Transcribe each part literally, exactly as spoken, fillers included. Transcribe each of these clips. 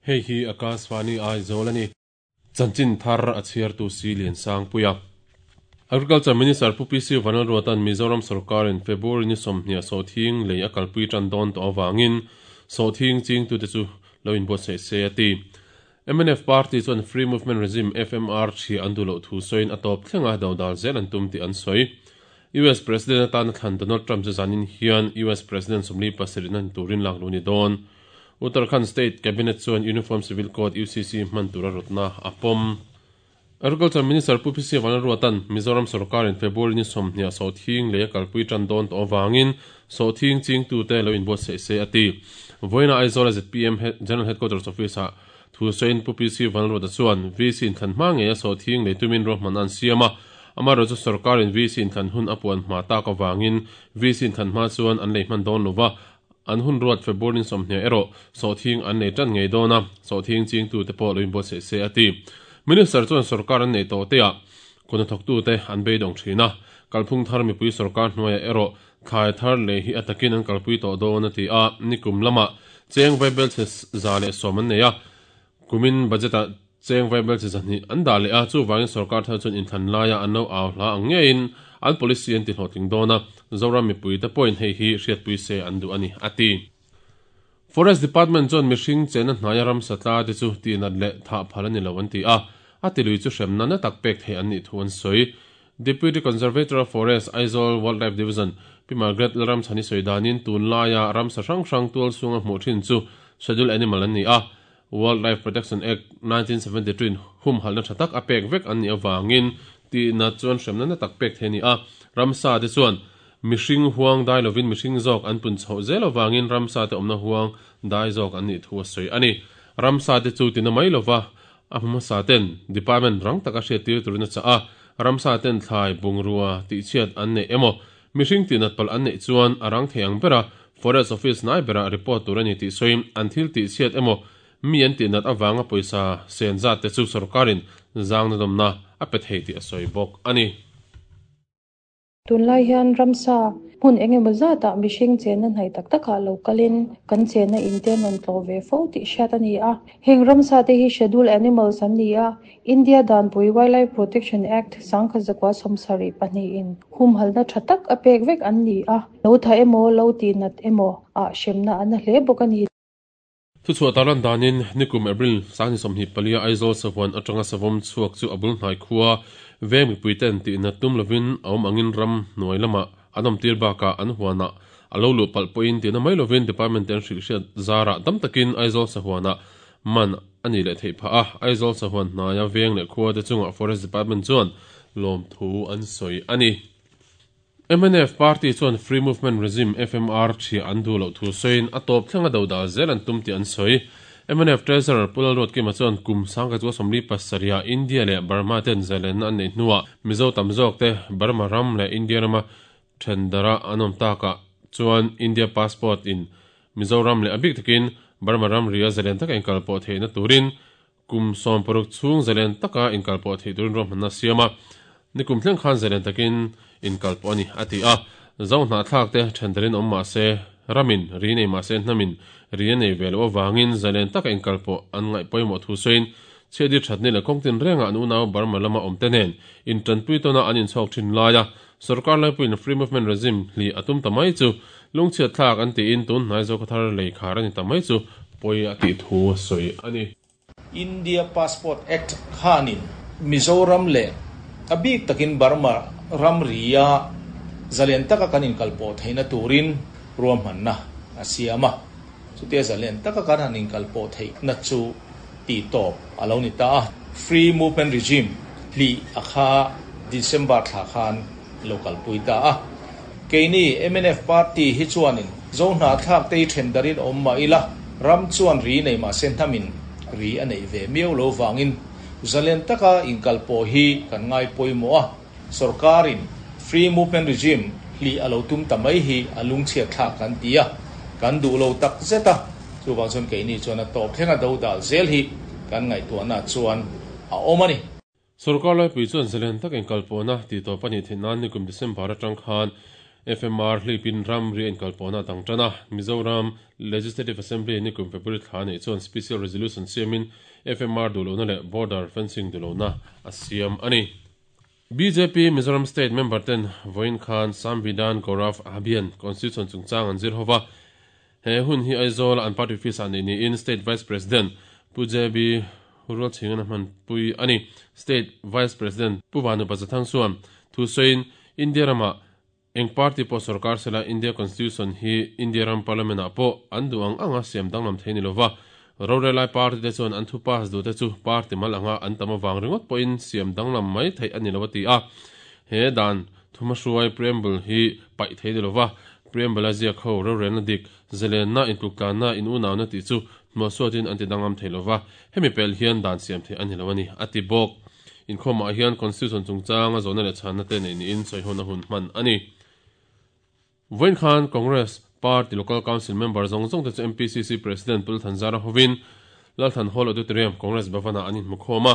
Hei hi Akashvani Aizawl a ni. Chanchin thar a chhiartu si lian sang puia. Agriculture Minister Pu P C Vanlalruatan Mizoram Sarkarin February ni sawmhnih sawhthing lei a kalpui tan dawn tawh awangin sawhthing ching tute chu lo inbuatsaih se a ti. M N F Party chuan Free Movement Regime F M R thi an duh loh thu sawiin a tawp thlenga dodal zel an tum tih an sawi. U S President atan thlan Donald Trump chu zanin hian U S President sawmli pasarih nan turin lak lu ni dawn. Uttarakhand State Cabinet chuan Uniform Civil Code U C C hman tura rawtna a pawm. Agriculture Minister Pu P C Vanlalruatan Mizoram Sarkarin February ni sawmhnih sawhthing lei a kalpui tan dawn tawh awangin sawhthing ching tute lo inbuatsaih se a ti. Vawiina Aizawl Z P M General Headquarters Office ah thu sawiin Pu P C Vanlalruata chuan V C in thlan hma ngei a sawhthing lei tumin ruahman an siam a. Amaherawhchu chu sarkarin V C in thlan hun a puan hma tak awangin V C in thlan hma chuan an lei hman dawn lova an hun ruat February ni sawmhnih erawh sawhthing an nei tan ngei dawn a sawhthing ching tute pawh lo inbuatsaih se a ti. Minister chuan sarkar an nei tawh te ah kuna thawk tute an beidawng thin a kalphung thar mipui sarkar hnuaiah erawh thlai thar lei hi atakin an kalpui tawh dawn a ti a nikum lamah cheng vaibel chhe za leh sawm an nei a kumin budget ah cheng vaibel chhe zahnih an dah leh a chuwangin sarkar thar chuan inthlan laia an lo au hla ang ngeiin an policy an ti hlawhtling dawn a Zoram mipui te pawhin hei hi hriatpui se an duh a ni a ti. Forest Department chuan mihring chena hnaia ram satla te chu tinat leh thah phal ani lo an ti a a tilui chu hremna na tak pek thei an nih thu an sawi. Deputy Conservator of Forest Aizawl Wildlife Division Pi Margaret Lalramchhani sawi danin tun laia ram sa hrang hrang tual chhunga hmuh thin chu Scheduled Animal an ni a. Wildlife Protection Act nineteen seventy-two in hum halna tha tak a pek vek an ni awangin tinat chuan hremna na tak pek thei ni a. Ramsa te chuan mihring huang dai lovin mihring zawk an pun chho zel awangin ramsa te awmna huang dai zawk an nih thu a sawi ani. Ramsa te chu tina mai lova a hmasa ten department rang taka hriat tir turin a cha a ramsa ten thlai bungrua tih chhiat an nei emaw mihring tinat pal an nei chuan a rang thei ang bera forest office nai bera report tur ani tih sawiin an thil tih chhiat emaw mi an tinat awanga pawisa sen zat te chu sarkarin zangna dawmna a pe thei tih a sawi bawk ani. Tunlai hian ramsa hmun engemaw zatah mihring chena hnai tak takah lo kalin kan chena in te an rawn tlawh ve fo tih hriat a ni a. Heng ramsa te hi Scheduled Animals an ni a. India Danpui Wildlife Protection Act sangkhat zakua sawmsarih pahnih in humhalna tha tak a pek vek an ni a. Lo tha emaw lo tinat emaw ah hremna an a hle bawk a ni. Thuchhuah taran danin nikum April sangni sawmhnih palia Aizawl sahuan atanga savawm chhuak chu a bul hnai khua veng mipui ten tinat tum lovin a awm angin ram hnuai lamah an awm tir bakah an huanah a lo luh palh pawhin tina mai lovin department ten hrilh hriat zarah tam takin Aizawl sahuanah man ani leh theih phah a. Aizawl sahuan hnaia veng leh khua te chungah Forest Department chuan lawm thu an sawi ani. M N F Party chuan Free Movement Regime F M R thi an duh loh thu sawiin a tawp thlenga dodal zel an tum tih an sawi. M N F Treasurer Pu Lalruatkima chuan kum sangkhat chu sawmli pasarih India leh Burma ten zalenna an nei hnuah Mizo tam zawk te Burma ram leh India rama thendara an awm takah chuan India passport in Mizoram leh a bik takin Burma ram ria zalen taka inkalpawh theihna turin kum sawm paruk chhung zalen taka inkalpawh theih turin ruahmanna siam a. Nikum thleng khan zalen takin inkalpawh ani a ti a. Zo hna thlak te thendarin awm mahse ramin ri nei mahse hnamin ri a nei ve lo awangin zalen taka inkalpawh an ngaih pawimawh thu sawiin chhiatdir thatni leh kawngtin rengah an unau Burma lama awm te nen intanpui tawna an inchhawk thin laia sarkar laipuiin Free Movement Regime hli a tum ta mai chu lungchhiat thlak an tiin tun hnai zo khaw thar lei khar ani ta mai chu pawi a tih thu a sawi ani. India Passport Act khanin Mizoram leh a bik takin Burma ram ria zalen taka kan inkalpawh theihna turin ruahmanna a siam a. Chutia zalen taka kan han inkalpawh theihna chu ti tawp a lo ni ta a. Free Movement Regime hli a kha December thla khan lo kalpui ta a. Keini M N F Party hi chuanin zo hna thlak te hi thendarin awm mah ila ram chuan ri nei mahse hnamin ri a nei ve miau lo wangin zalen taka inkalpawh hi kan ngai pawimawh a. Sarkarin Free Movement Regime hli a lo tum ta mai hi a lungchhiat thlak kan ti a. Kan duh lo tak zet a. Chuwang chuan keini chuan a tawp thlenga dodal zel hi kan ngaihtuahna chuan a awm ani. Sarkar laipui chuan zalen tak inkalpawhna ti tawp ani theih nan nikum December atang khan F M R hlipin ram ri en kalpona tangtana Mizoram Legislative Assembly ni kum February thla nei chuan special resolution siamin F M R dulona le border fencing dulona a siam ani. B J P Mizoram State member ten Voin Khan Samvidhan Gaurav Abhiyan Constitution chungchang an zir hova he hun hi Aizawl an party office ani ni in State Vice President Pu J B Rural Chingan man pui ani. State Vice President Pu Vanu Pazathang suam thu soin India rama eng party po sarkar sela India Constitution hi India ram parliament a po an duang anga siam danglam theini lova rorelai party te chuan an thu pass du te chu party mal anga an tama wang ringot po in siam danglam mai thei ani lova ti a he dan thuma hruai preamble hi pai thei lova preamble a zia kho rorelna dik zelen na intluklan na in unaw na ti chu mo sotin anti dangam thei lova hemi pel hian dan siam thei ani lowani ati bok in khoma hian constitution chungchang a zona le chhanna te nei ni in soihona hun hman ani. Voin Khan Congress Party Local Council member zong zong te chu M P C C President Pul Thanzara hovin Lalthan Hall Auditorium Congress Bhavana anin mukhoma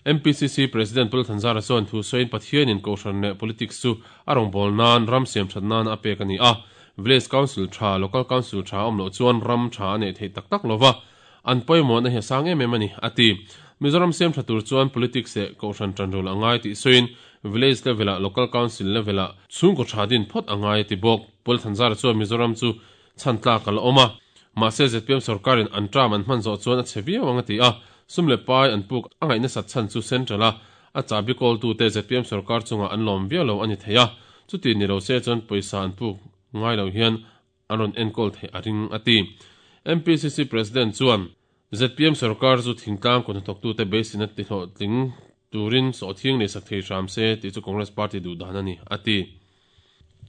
M P C C President Pul Thanzara chuan thu soin Pathian in kohhran leh politics chu a rawngbâwl nan ram siam that nan a pek ani a Village Council tha Local Council tha awm loh chuan ram tha a nei thei tak tak lova an pawimawh na hi sang em em ani ati. Mizoram siam tha tur chuan politics leh kohhran tanrul angai tih soin village level a local council level a chhungkaw tha din phawt angai ti bawk. Pul Thanzara chuan Mizoram chu chhantla kal awm a mahse Z P M sarkarin an tram an hman zawh chuan a chhe viau anga ti a sumle pai an puk a ngaihna sat chhan chu central a a chabi kawl tu te Z P M sarkar chunga an lawm viau lo ani thei a chuti ni lo se chuan pawisa an puk ngai lo hian an rawn enkawl thei a ring ati. M P C C President chuan Z P M sarkar chu thingtlang kun thawk tu te beisin a ti hlawh tling turin sawhthing nei sak thei hram se tih chu Congress Party duh dan ani ati.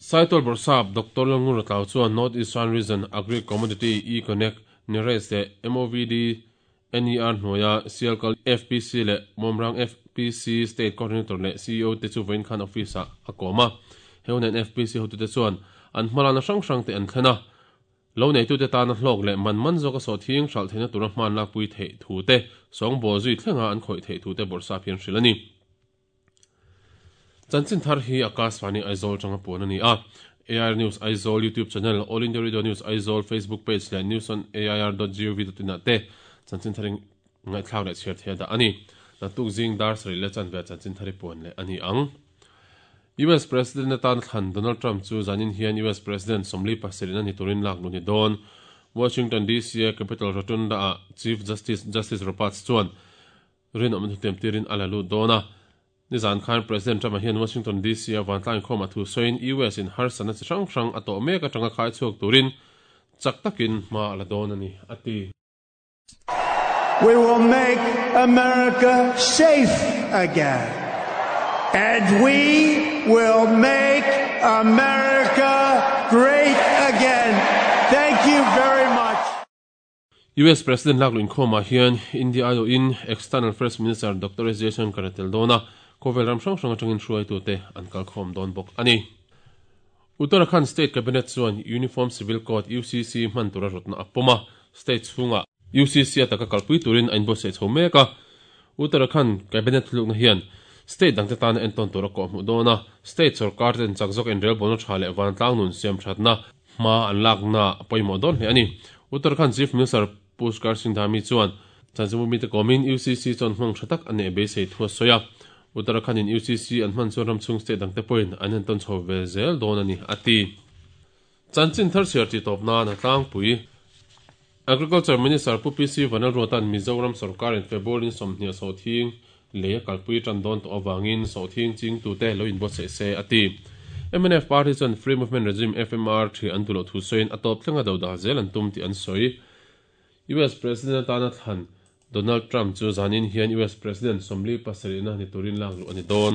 Saitol Borsap Doctor Langur Tlau chuan North Eastern Region Agri Commodity E-Connect Nires le M O V D N E R hnuaia Sialkal F P C le Momrang F P C State Coordinator le C E O te chu Voin Khan office a a kawm a heunen F P C hotu te chuan an hmalana hrang hrang te an thlena lo nei tu te tana hlawk leh man man zawk a sawhthing hral theihna tura hman lak pui theih thu te sawngbawl zui thlenga an khawih theih thu te Borsap hian hril ani. Chanchin thar hi Akashvani Aizawl tanga puan ani a A I R News Aizawl YouTube channel All India Radio News Aizawl Facebook page leh news on A I R dot gov dot in ah te chanchin tharin ngaihthlak leh chhiar thei da ani. Natuk zing dar sarih leh chanve chanchin thari puan leh ani ang. U S President atan thlan Donald Trump chu zanin hian U S President Somli pasarih ani turin lak lu ni dawn. Washington D C a Capitol Rotunda a Chief Justice Justice Roberts chuan rin awm tem tirin ala lu dawna. Nizan Khan President Trump hian Washington D C a vantlang khawm a thu sawiin U S in harsana chi hrang hrang a tawh mek atanga khai chhuak turin chak takin hma ala dawn ani ati. We will make America safe again. And we will make America great again. Thank you very much. U S President lak luin khawma hian India aio in External Affairs Minister Doctor S Jaishankar tel dawna khawvel ram hrang hrang atangin hruai tu te an kal khawm dawn bawk ani. Uttarakhand State Cabinet chuan Uniform Civil Code U C C hman tura rawtna a pawm a state chhunga U C C ataka kalpui turin a inbuatsaih chho mek a. Uttarakhand Cabinet hlukna hian state dangte tana enton tura kawh hmuh dawna state sarkar ten chak zawk in relbawlna tha leh vantlang nun siam thatna hma an lakna pawimawh dawn hle ani. Uttarakhand Chief Minister Pushkar Singh Dhami chuan chanchinbu mite kawmin U C C chuan hmang tha tak a nei beisei thu a sawi a. Uttarakhand in U C C an hman chuan ram chhung state dangte pawhin an enton chho ve zel dawn ani ati. Chanchin thar chhiar ti tawp nan a tlangpui Agriculture Minister Pu P C Vanlalruatan Mizoram sarkar in February ni sawmhnih sawhthing lei a kalpui tan dawn tawh awangin sawhthing ching tu te lo inbuatsaih se ati. M N F Party chuan Free Movement Regime F M R thi an duhloh thu sawiin a tawp thlenga do dah zel an tum tih an sawi. U S President atana thlan Donald Trump chu zanin hian U S President Somli pasarihna ni turin lak luh ani dawn.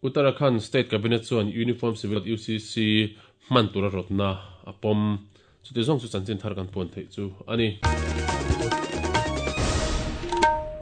Uttarakhand State Cabinet chuan Uniform Civil U C C hman tura rawtna a pawm. Chuti zawng chu chanchin thar kan puan theih chu ani.